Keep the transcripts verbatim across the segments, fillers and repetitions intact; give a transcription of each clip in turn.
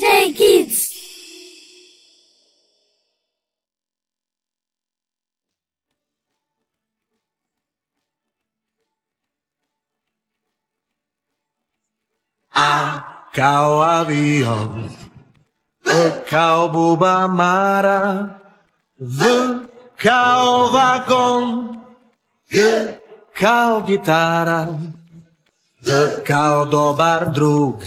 J Kids. A kao avion, B kao buba mara, V kao vagon, G kao gitara, D kao dobar drug,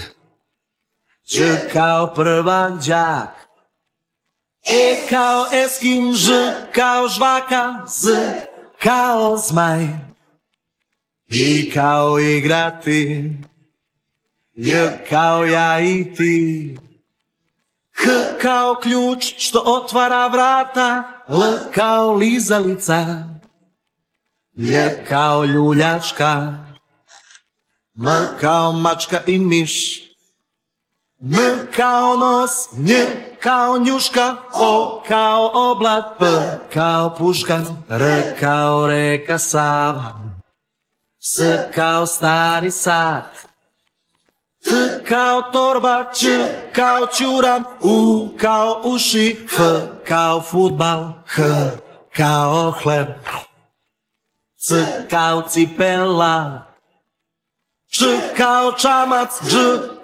Ć kao prvak đak, E kao eskim, Ž kao žvaka, Z kao zmaj, I kao igrati, J kao ja i ti, K kao ključ što otvara vrata, L kao lizalica, Lj kao ljuljačka, M kao mačka i miš, M kao nos, Nj kao njuška, O kao oblak, P kao puška, R kao reka Sava, S kao stari sat, T kao torba, Č kao ćuran, U kao uši, F kao fudbal, H kao hleb, C kao cipela, Č kao čamac, Dž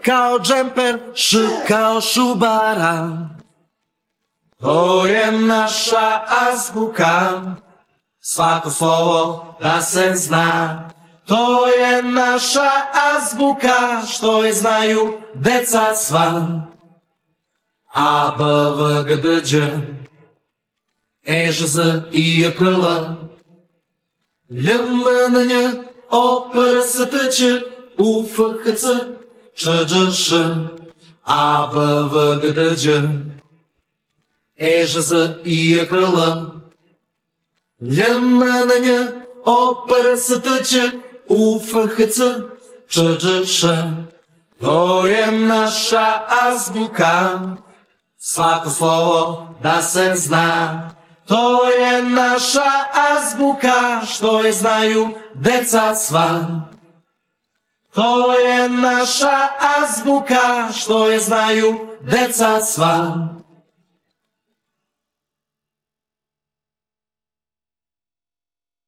kao džemper, Š kao šubara. To je naša azbuka, svako slovo da se zna. To je naša azbuka, što je znaju deca sva. A, B, V, G, D, Đ, E, Ž, Z, I, J, K, L, Lj, M, N, Nj, O, P, R, S, T, Č, U, F, H, C, Č, Đ, Š, A, B, V, G, D, Đ, E, Ž, Z, I, J, K, L, Lj, M, N, Nj, O, P, R, S, T, Č, U, F, H, C, Č, Đ, Š. To je naša azbuka, svako slovo da se zna. To je naša azbuka, što je znaju deca sva. To je naša azbuka, što je znaju deca sva.